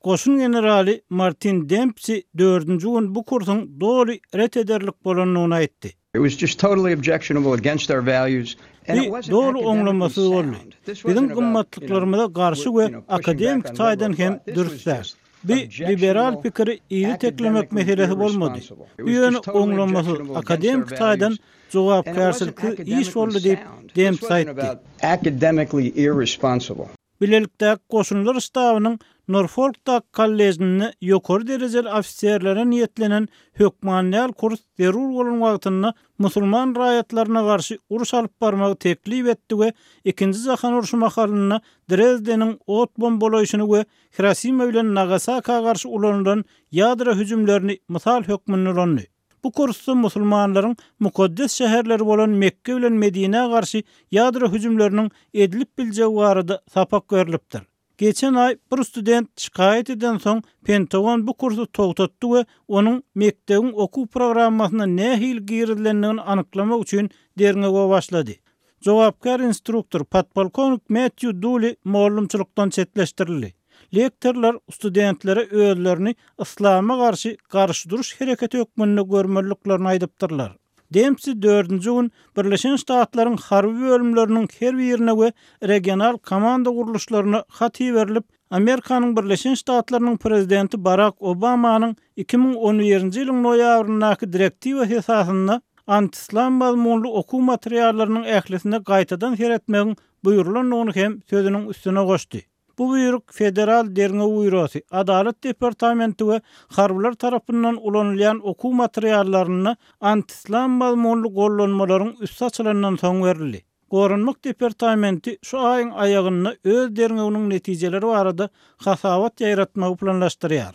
Goşun generaly Martin Dempsi dördünji gün bu kursuň doly ret ederlik bolandygyny aýtdy. Bu doly oňlamasyz boldy. Biziň gymmatlyklarymyza garşy we akademiki taýdan hem dürs däl. Bu liberal pikiri yzy teklemek meselesi bolmady. Bu ýöne oňlamasyz, akademiki taýdan jogapkärçiliksiz iş boldy diýip, Dempsi aýtdy. Bilelikdäki goşunlar ştabynyň Norfolkdaky kollejinde ýokary derejeli ofiserlere niýetlenen hökman däl kurs zerur bolan wagtynda musulman raýatlaryna garşy uruş alyp barmagy teklip etdi we Ikinji jahan urşy mahalynda Drezdeniň ot bombalaýşyny we Hirosima bilen Nagasaka garşy ulanylan ýadro hüjümlerini mysal hökmünde ulandy. Bu kursda musulmanlaryň mukaddes şäherleri bolan Mekge bilen Medinä garşy ýadro hüjümleriniň edilip biljegi barada sapak berlipdir. Geçen aý bir student şikaýat edensoň, Pentagon bu kursy togtatdy we onuň mekdebiň okuw programmasyna nähili girizilendigini anyklamak üçin derňewe başlady. Jogapkär instruktor, podpolkownik Mätýu Duli mugallymçylykdan çetleşdirildi. Lektorlar studentlere özlerini yslama garşy garşy duruş hereketi hökmünde görmeliliklerini aýdypdyrlar. Dempsi dördünji gün Birleşen Ştatlaryň harby bölümleriniň her birine we regional komanda gurluşlaryna hat iberilip, Amerikanyň Birleşen Ştatlarynyň prezidenti Barak Obamanyň 2011-nji ýylyň noýabryndaky direktiwasy esasynda antiyslam mazmunly okuw materiallarynyň ählisine gaýtadan seretmegiň buýrulandygyny hem sözüniň üstüne goşdy. Bu buýruk Federal derňew býurosy, Adalat departamenti we harbylar tarapyndan ulanylýan okuw materiallarynda antiyslam mazmunly gollanmalaryň üsti açylandan soň berildi. Goranmak departamenti şu aýyň aýagynda öz derňewiniň netijeleri barada hasabat ýaýratmagy planlaşdyrýar.